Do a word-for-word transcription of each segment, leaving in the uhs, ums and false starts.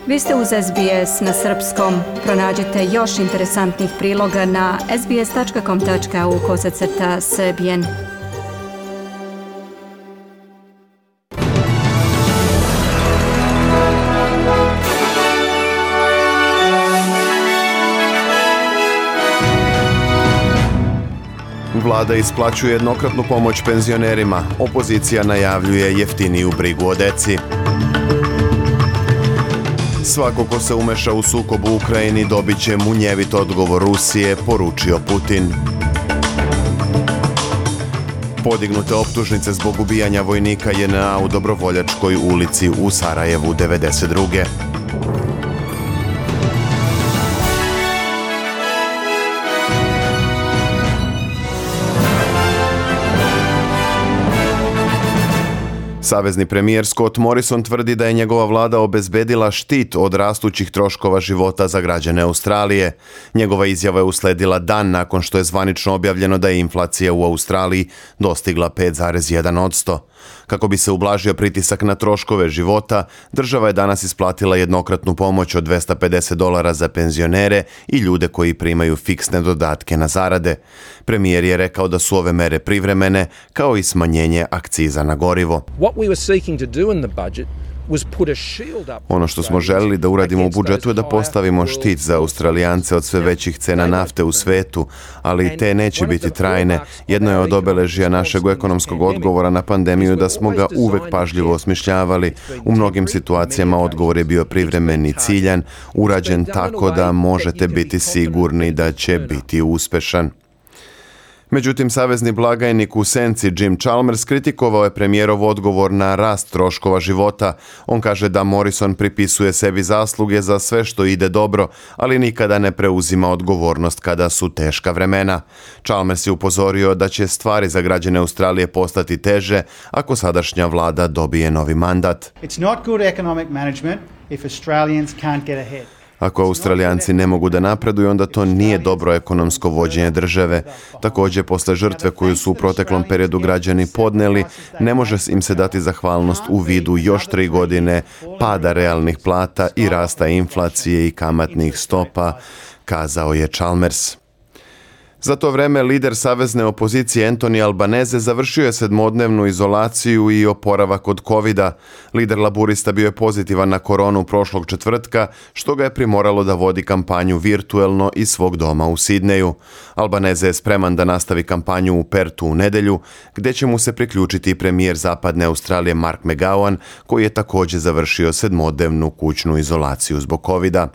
Vi ste uz S B S na srpskom. Pronađite još interesantnih priloga na sbs.com tačka au kosacrta srbijen. Vlada isplaćuje jednokratnu pomoć penzionerima. Opozicija najavljuje jeftiniju brigu o deci. Svako ko se umeša u sukob u Ukrajini dobit će munjevit odgovor Rusije, poručio Putin. Podignute optužnice zbog ubijanja vojnika J N A u Dobrovoljačkoj ulici u Sarajevu devedeset druge. Savezni premijer Scott Morrison tvrdi da je njegova vlada obezbedila štit od rastućih troškova života za građane Australije. Njegova izjava je usledila dan nakon što je zvanično objavljeno da je inflacija u Australiji dostigla pet zarez jedan posto. Kako bi se ublažio pritisak na troškove života, država je danas isplatila jednokratnu pomoć od dvesta pedeset dolara za penzionere i ljude koji primaju fiksne dodatke na zarade. Premijer je rekao da su ove mere privremene, kao i smanjenje akciza na gorivo. Ono što smo želili da uradimo u budžetu je da postavimo štit za Australijance od sve većih cena nafte u svetu, ali te neće biti trajne. Jedno je od obeležja našeg ekonomskog odgovora na pandemiju da smo ga uvek pažljivo osmišljavali. U mnogim situacijama odgovor je bio privremen i ciljan, urađen tako da možete biti sigurni da će biti uspešan. Međutim, savezni blagajnik u senci Jim Chalmers kritikovao je premijerov odgovor na rast troškova života. On kaže da Morrison pripisuje sebi zasluge za sve što ide dobro, ali nikada ne preuzima odgovornost kada su teška vremena. Chalmers je upozorio da će stvari za građane Australije postati teže ako sadašnja vlada dobije novi mandat. It's not good economic management if Australians can't get ahead. Ako Australijanci ne mogu da napreduju, onda to nije dobro ekonomsko vođenje države. Također, posle žrtve koju su u proteklom periodu građani podneli, ne može im se dati zahvalnost u vidu još tri godine pada realnih plata i rasta inflacije i kamatnih stopa, kazao je Chalmers. Za to vreme lider savezne opozicije Anthony Albanese završio je sedmodnevnu izolaciju i oporavak od kovida. Lider laburista bio je pozitivan na koronu prošlog četvrtka, što ga je primoralo da vodi kampanju virtuelno iz svog doma u Sidneju. Albanese je spreman da nastavi kampanju u Pertu u nedelju, gdje će mu se priključiti i premijer Zapadne Australije Mark McGowan, koji je također završio sedmodnevnu kućnu izolaciju zbog kovida.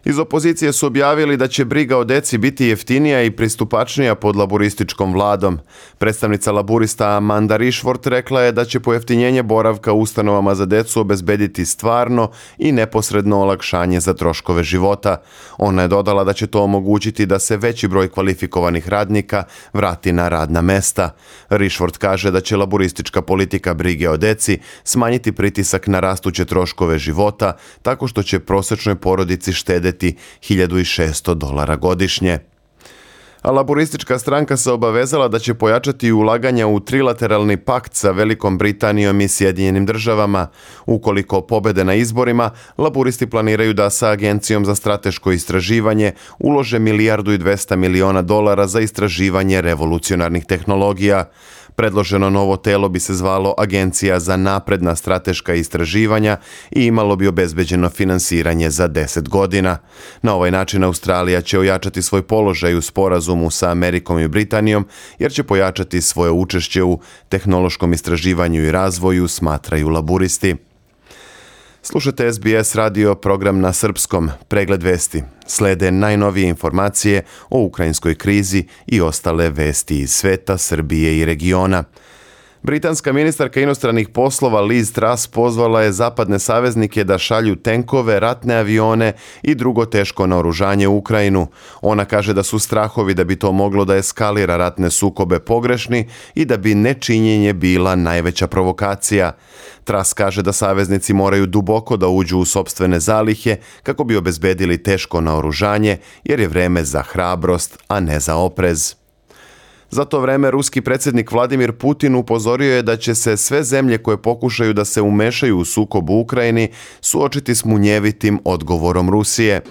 Iz opozicije su objavili da će briga o deci biti jeftinija i pristupačnija pod laburističkom vladom. Predstavnica laburista Amanda Rishworth rekla je da će pojeftinjenje boravka u ustanovama za decu obezbediti stvarno i neposredno olakšanje za troškove života. Ona je dodala da će to omogućiti da se veći broj kvalifikovanih radnika vrati na radna mesta. Rishworth kaže da će laburistička politika brige o deci smanjiti pritisak na rastuće troškove života tako što će prosječnoj porodici štedeti hiljadu šessto dolara godišnje. A laburistička stranka se obavezala da će pojačati ulaganja u trilateralni pakt sa Velikom Britanijom i Sjedinjenim državama. Ukoliko pobede na izborima, laburisti planiraju da sa Agencijom za strateško istraživanje ulože milijardu i dvesta miliona dolara za istraživanje revolucionarnih tehnologija. Predloženo novo telo bi se zvalo Agencija za napredna strateška istraživanja i imalo bi obezbeđeno finansiranje za deset godina. Na ovaj način Australija će ojačati svoj položaj u sporazumu sa Amerikom i Britanijom, jer će pojačati svoje učešće u tehnološkom istraživanju i razvoju, smatraju laburisti. Slušate S B S radio program na srpskom, pregled vesti. Slede najnovije informacije o ukrajinskoj krizi i ostale vesti iz sveta, Srbije i regiona. Britanska ministarka inostranih poslova Liz Truss pozvala je zapadne saveznike da šalju tenkove, ratne avione i drugo teško naoružanje u Ukrajinu. Ona kaže da su strahovi da bi to moglo da eskalira ratne sukobe pogrešni i da bi nečinjenje bila najveća provokacija. Truss kaže da saveznici moraju duboko da uđu u sopstvene zalihe kako bi obezbedili teško naoružanje, jer je vreme za hrabrost, a ne za oprez. Za to vreme ruski predsjednik Vladimir Putin upozorio je da će se sve zemlje koje pokušaju da se umešaju u sukob u Ukrajini suočiti s munjevitim odgovorom Rusije.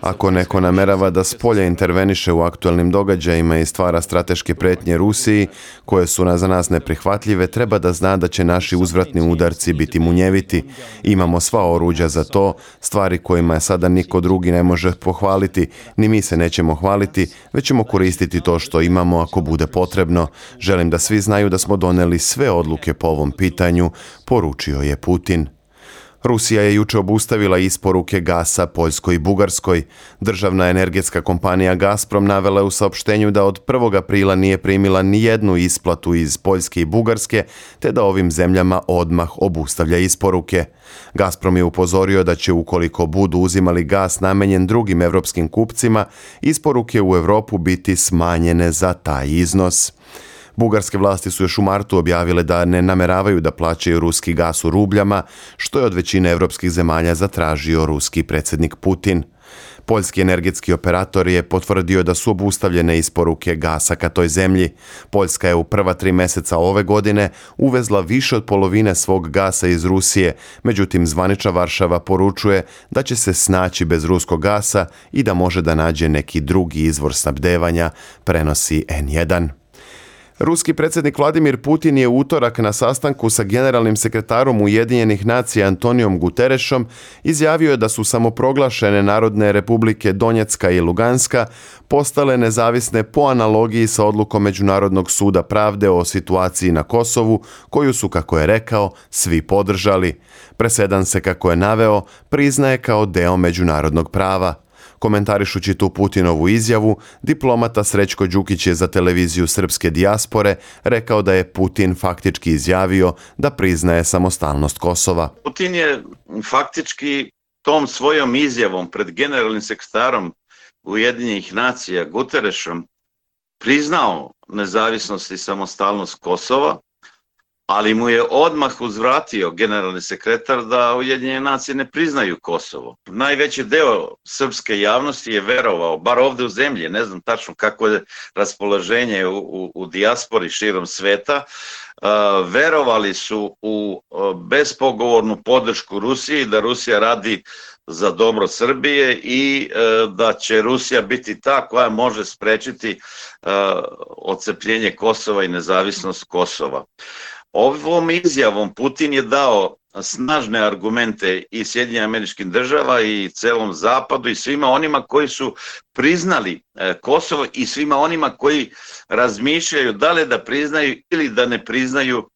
Ako neko namerava da s polja interveniše u aktualnim događajima i stvara strateške prijetnje Rusiji, koje su za nas neprihvatljive, treba da zna da će naši uzvratni udarci biti munjeviti. Imamo sva oruđa za to, stvari kojima sada niko drugi ne može pohvaliti, ni mi se nećemo hvaliti, već ćemo koristiti to što imamo ako bude potrebno. Želim da svi znaju da smo doneli sve odluke po ovom pitanju, poručio je Putin. Rusija je juče obustavila isporuke gasa Poljskoj i Bugarskoj. Državna energetska kompanija Gazprom navela je u saopštenju da od prvog aprila nije primila ni jednu isplatu iz Poljske i Bugarske, te da ovim zemljama odmah obustavlja isporuke. Gazprom je upozorio da će, ukoliko budu uzimali gas namenjen drugim evropskim kupcima, isporuke u Europu biti smanjene za taj iznos. Bugarske vlasti su još u martu objavile da ne nameravaju da plaćaju ruski gas u rubljama, što je od većine evropskih zemalja zatražio ruski predsjednik Putin. Poljski energetski operator je potvrdio da su obustavljene isporuke gasa ka toj zemlji. Poljska je u prva tri mjeseca ove godine uvezla više od polovine svog gasa iz Rusije, međutim zvanična Varšava poručuje da će se snaći bez ruskog gasa i da može da nađe neki drugi izvor snabdevanja, prenosi en jedan. Ruski predsjednik Vladimir Putin je u utorak na sastanku sa generalnim sekretarom Ujedinjenih nacija Antonijom Guterešom izjavio da su samoproglašene Narodne republike Donjecka i Luganska postale nezavisne po analogiji sa odlukom Međunarodnog suda pravde o situaciji na Kosovu, koju su, kako je rekao, svi podržali. Presedan se, kako je naveo, priznaje kao deo međunarodnog prava. Komentarišući tu Putinovu izjavu, diplomata Srećko Đukić je za televiziju srpske dijaspore rekao da je Putin faktički izjavio da priznaje samostalnost Kosova. Putin je faktički tom svojom izjavom pred generalnim sekretarom Ujedinjenih nacija Guterešom priznao nezavisnost i samostalnost Kosova, ali mu je odmah uzvratio generalni sekretar da Ujedinjene nacije ne priznaju Kosovo. Najveći deo srpske javnosti je verovao, bar ovde u zemlji, ne znam tačno kako je raspoloženje u, u, u dijaspori širom sveta, uh, verovali su u uh, bespogovornu podršku Rusiji, da Rusija radi za dobro Srbije i uh, da će Rusija biti ta koja može sprečiti uh, odcepljenje Kosova i nezavisnost Kosova. Ovom izjavom Putin je dao snažne argumente i Sjedinjenim Američkim Državama i celom Zapadu i svima onima koji su priznali Kosovo i svima onima koji razmišljaju da li da priznaju ili da ne priznaju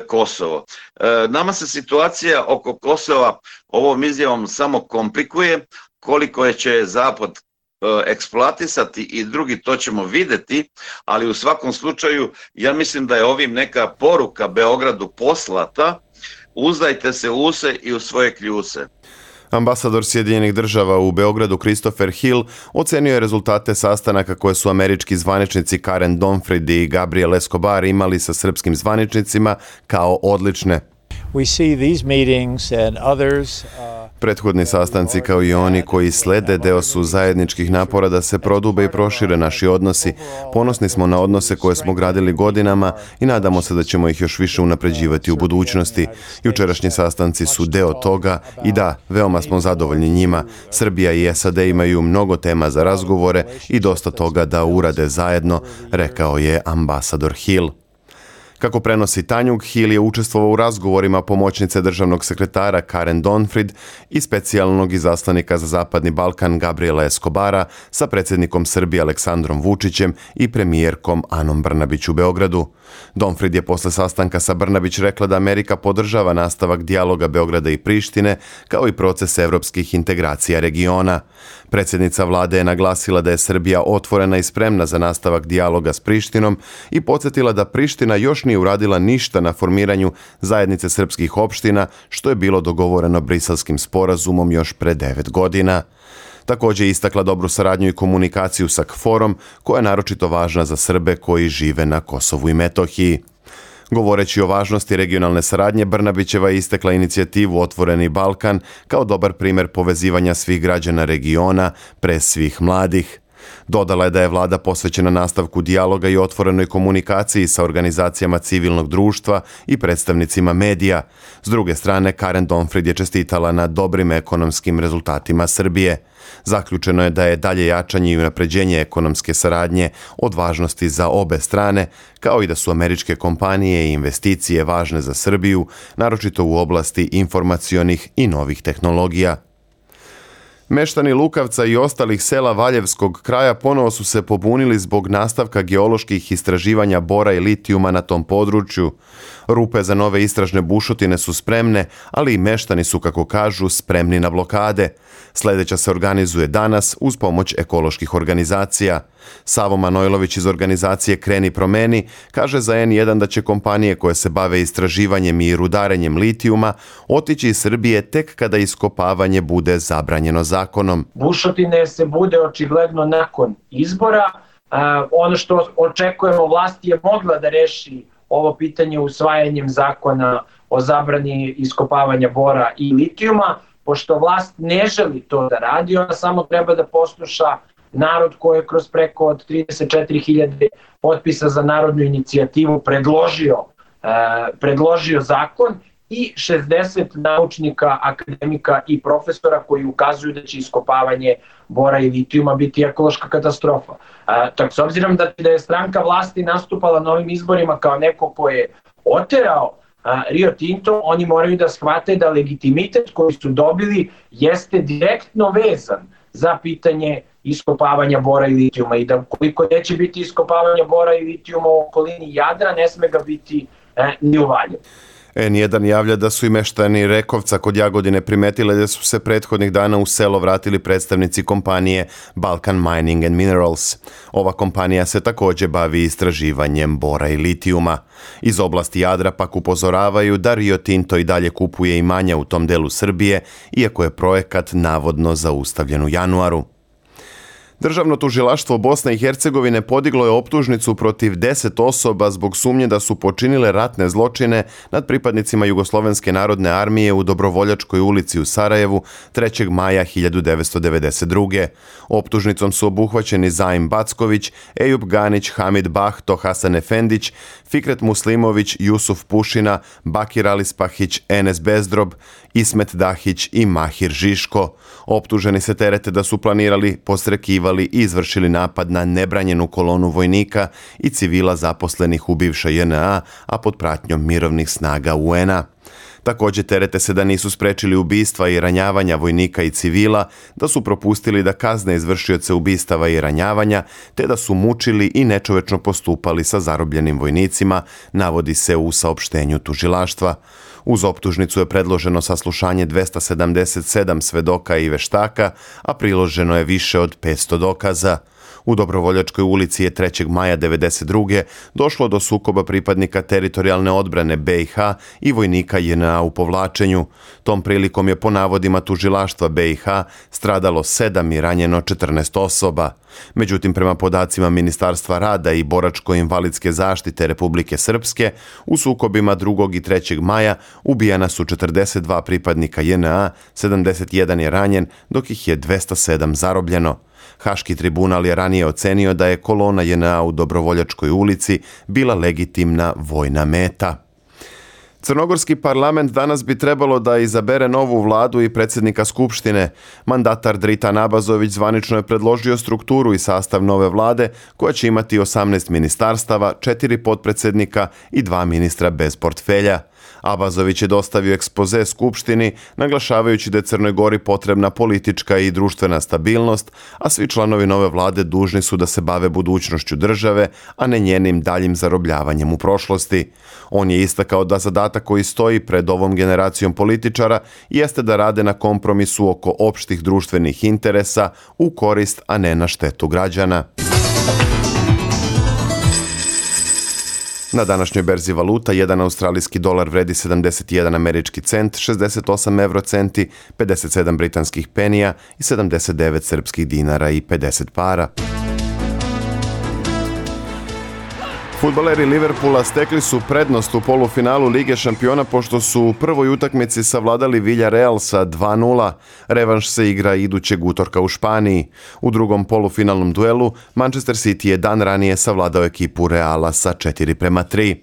Kosovo. Nama se situacija oko Kosova ovom izjavom samo komplikuje, koliko će Zapad eksploatisati i drugi, to ćemo videti, ali u svakom slučaju ja mislim da je ovim neka poruka Beogradu poslata: uzdajte se u se i u svoje kljuse. Ambasador Sjedinjenih Država u Beogradu Christopher Hill ocenio je rezultate sastanaka koje su američki zvaničnici Karen Donfrid i Gabriel Escobar imali sa srpskim zvaničnicima kao odlične. Prethodni sastanci, kao i oni koji slede, deo su zajedničkih napora da se prodube i prošire naši odnosi. Ponosni smo na odnose koje smo gradili godinama i nadamo se da ćemo ih još više unapređivati u budućnosti. Jučerašnji sastanci su deo toga i da, veoma smo zadovoljni njima. Srbija i es a de imaju mnogo tema za razgovore i dosta toga da urade zajedno, rekao je ambasador Hill. Kako prenosi Tanjug, Hill je učestvovao u razgovorima pomoćnice državnog sekretara Karen Donfrid i specijalnog izaslanika za Zapadni Balkan Gabriela Escobara sa predsjednikom Srbije Aleksandrom Vučićem i premijerkom Anom Brnabić u Beogradu. Donfrid je posle sastanka sa Brnabić rekla da Amerika podržava nastavak dijaloga Beograda i Prištine, kao i proces evropskih integracija regiona. Predsjednica vlade je naglasila da je Srbija otvorena i spremna za nastavak dijaloga s Prištinom i podsjetila da Priština još nije uradila ništa na formiranju zajednice srpskih opština, što je bilo dogovoreno Briselskim sporazumom još pre devet godina. Također je istakla dobru saradnju i komunikaciju sa KFOR-om, koja je naročito važna za Srbe koji žive na Kosovu i Metohiji. Govoreći o važnosti regionalne saradnje, Brnabićeva je istakla inicijativu Otvoreni Balkan kao dobar primjer povezivanja svih građana regiona, pre svih mladih. Dodala je da je vlada posvećena nastavku dijaloga i otvorenoj komunikaciji sa organizacijama civilnog društva i predstavnicima medija. S druge strane, Karen Donfrid je čestitala na dobrim ekonomskim rezultatima Srbije. Zaključeno je da je dalje jačanje i unapređenje ekonomske saradnje od važnosti za obe strane, kao i da su američke kompanije i investicije važne za Srbiju, naročito u oblasti informacionih i novih tehnologija. Meštani Lukavca i ostalih sela Valjevskog kraja ponovo su se pobunili zbog nastavka geoloških istraživanja bora i litijuma na tom području. Rupe za nove istražne bušotine su spremne, ali i meštani su, kako kažu, spremni na blokade. Sljedeća se organizuje danas uz pomoć ekoloških organizacija. Savo Manojlović iz organizacije Kreni promeni kaže za en jedan da će kompanije koje se bave istraživanjem i rudarenjem litijuma otići iz Srbije tek kada iskopavanje bude zabranjeno zakonom. Bušotine se bude očigledno nakon izbora. Ono što očekujemo, vlast je mogla da reši ovo pitanje usvajanjem zakona o zabrani iskopavanja bora i litijuma. Pošto vlast ne želi to da radi, ona samo treba da posluša narod koji je kroz preko od trideset četiri hiljade potpisa za narodnu inicijativu predložio, eh, predložio zakon i šezdeset naučnika, akademika i profesora koji ukazuju da će iskopavanje bora i litijuma biti ekološka katastrofa. Eh, tako, s obzirom da, da je stranka vlasti nastupala na ovim izborima kao neko ko je oterao Rio Tinto, oni moraju da shvate da legitimitet koji su dobili jeste direktno vezan za pitanje iskopavanja bora i litijuma i da koliko neće biti iskopavanja bora i litijuma u okolini Jadra, ne sme ga biti eh, ni u Valjevu. en jedan javlja da su i meštani Rekovca kod Jagodine primetile da su se prethodnih dana u selo vratili predstavnici kompanije Balkan Mining and Minerals. Ova kompanija se također bavi istraživanjem bora i litijuma. Iz oblasti Jadra pak upozoravaju da Rio Tinto i dalje kupuje imanja u tom delu Srbije, iako je projekat navodno zaustavljen u januaru. Državno tužilaštvo Bosne i Hercegovine podiglo je optužnicu protiv deset osoba zbog sumnje da su počinile ratne zločine nad pripadnicima Jugoslovenske narodne armije u Dobrovoljačkoj ulici u Sarajevu trećeg maja hiljadu devetsto devedeset druge. Optužnicom su obuhvaćeni Zaim Backović, Ejub Ganić, Hamid Bahto, Hasan Efendić, Fikret Muslimović, Jusuf Pušina, Bakir Alispahić, Enes Bezdrob, Ismet Dahić i Mahir Žiško. Optuženi se terete da su planirali, postrekivali i izvršili napad na nebranjenu kolonu vojnika i civila zaposlenih u bivšoj J N A, a pod pratnjom mirovnih snaga U N-a. Također terete se da nisu sprečili ubistva i ranjavanja vojnika i civila, da su propustili da kazne izvršioce ubistava i ranjavanja, te da su mučili i nečovečno postupali sa zarobljenim vojnicima, navodi se u saopštenju tužilaštva. Uz optužnicu je predloženo saslušanje dvesta sedamdeset sedam svedoka i veštaka, a priloženo je više od petsto dokaza. U Dobrovoljačkoj ulici je trećeg maja devedeset druge došlo do sukoba pripadnika teritorijalne odbrane B i H i vojnika J N A u povlačenju. Tom prilikom je po navodima tužilaštva B i H stradalo sedam i ranjeno četrnaest osoba. Međutim, prema podacima Ministarstva rada i boračko-invalidske zaštite Republike Srpske, u sukobima drugog i trećeg maja ubijana su četrdeset dva pripadnika J N A, sedamdeset jedan je ranjen, dok ih je dvesta sedam zarobljeno. Haški tribunal je ranije ocenio da je kolona J N A u Dobrovoljačkoj ulici bila legitimna vojna meta. Crnogorski parlament danas bi trebalo da izabere novu vladu i predsjednika Skupštine. Mandatar Dritan Abazović zvanično je predložio strukturu i sastav nove vlade koja će imati osamnaest ministarstava, četiri potpredsjednika i dva ministra bez portfelja. Abazović je dostavio ekspoze Skupštini, naglašavajući da je Crnoj Gori potrebna politička i društvena stabilnost, a svi članovi nove vlade dužni su da se bave budućnošću države, a ne njenim daljim zarobljavanjem u prošlosti. On je istakao da zadatak koji stoji pred ovom generacijom političara jeste da rade na kompromisu oko opštih društvenih interesa u korist, a ne na štetu građana. Na današnjoj berzi valuta jedan australijski dolar vredi sedamdeset jedan američki cent, šezdeset osam eurocenti, pedeset sedam britanskih penija i sedamdeset devet srpskih dinara i pedeset para. Fudbaleri Liverpoola stekli su prednost u polufinalu Lige šampiona pošto su u prvoj utakmici savladali Villarreal sa dva nula. Revanš se igra idućeg utorka u Španiji. U drugom polufinalnom duelu Manchester City je dan ranije savladao ekipu Reala sa četiri prema tri.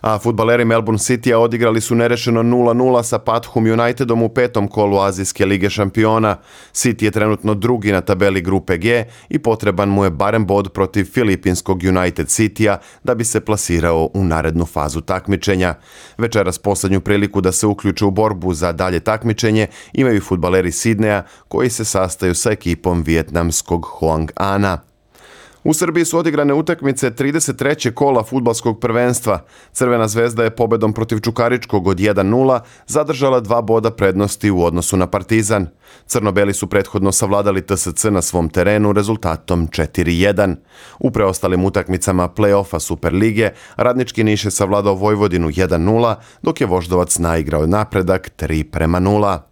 A fudbaleri Melbourne Citya odigrali su nerešeno nula nula sa Pathum Unitedom u petom kolu Azijske lige šampiona. City je trenutno drugi na tabeli grupe G i potreban mu je barem bod protiv filipinskog United Citya da bi se plasirao u narednu fazu takmičenja. Večeras poslednju priliku da se uključe u borbu za dalje takmičenje imaju fudbaleri Sidneja koji se sastaju sa ekipom vijetnamskog Hoang Ana. U Srbiji su odigrane utakmice trideset trećeg kola fudbalskog prvenstva. Crvena zvezda je pobedom protiv Čukaričkog od jedan nula zadržala dva boda prednosti u odnosu na Partizan. Crno-beli su prethodno savladali T S C na svom terenu rezultatom četiri jedan. U preostalim utakmicama play-offa Superlige Radnički Niš je savladao Vojvodinu jedan nula, dok je Voždovac naigrao napredak tri prema nula.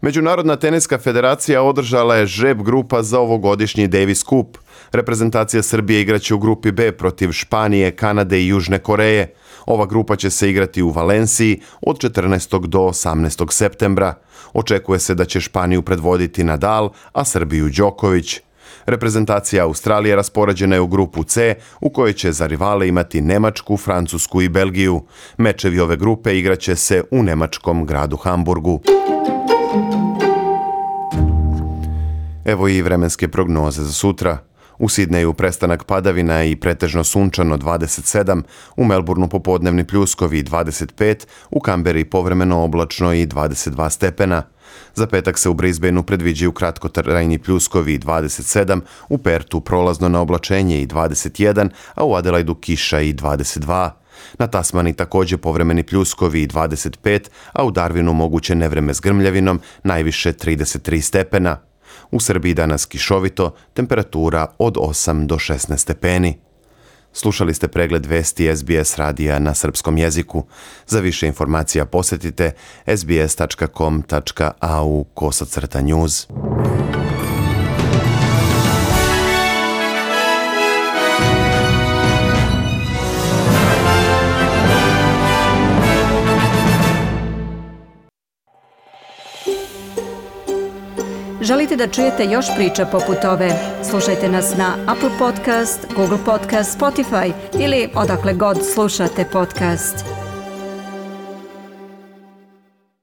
Međunarodna teniska federacija održala je žreb grupa za ovogodišnji Davis Cup. Reprezentacija Srbije igraće u grupi B protiv Španije, Kanade i Južne Koreje. Ova grupa će se igrati u Valenciji od četrnaestog do osamnaestog septembra. Očekuje se da će Španiju predvoditi Nadal, a Srbiju Đoković. Reprezentacija Australije raspoređena je u grupu C, u kojoj će za rivale imati Nemačku, Francusku i Belgiju. Mečevi ove grupe igraće se u nemačkom gradu Hamburgu. Evo i vremenske prognoze za sutra. U Sidneju prestanak padavina i pretežno sunčano dvadeset sedam, u Melbourneu popodnevni pljuskovi dvadeset pet, u Kamberi povremeno oblačno i dvadeset dva stepena. Za petak se u Brisbaneu predviđaju kratkotrajni pljuskovi dvadeset sedam, u Pertu prolazno na oblačenje i dvadeset jedan, a u Adelaidu kiša i dvadeset dva. Na Tasmani također povremeni pljuskovi dvadeset pet, a u Darwinu moguće nevreme s grmljavinom, najviše trideset tri stepena. U Srbiji danas kišovito, temperatura od osam do šesnaest stepeni. Slušali ste pregled vesti S B S radija na srpskom jeziku. Za više informacija posjetite s b s tačka com tačka a u kosacrta news. Želite da čujete još priča poput ove? Slušajte nas na Apple Podcast, Google Podcast, Spotify ili odakle god slušate podcast.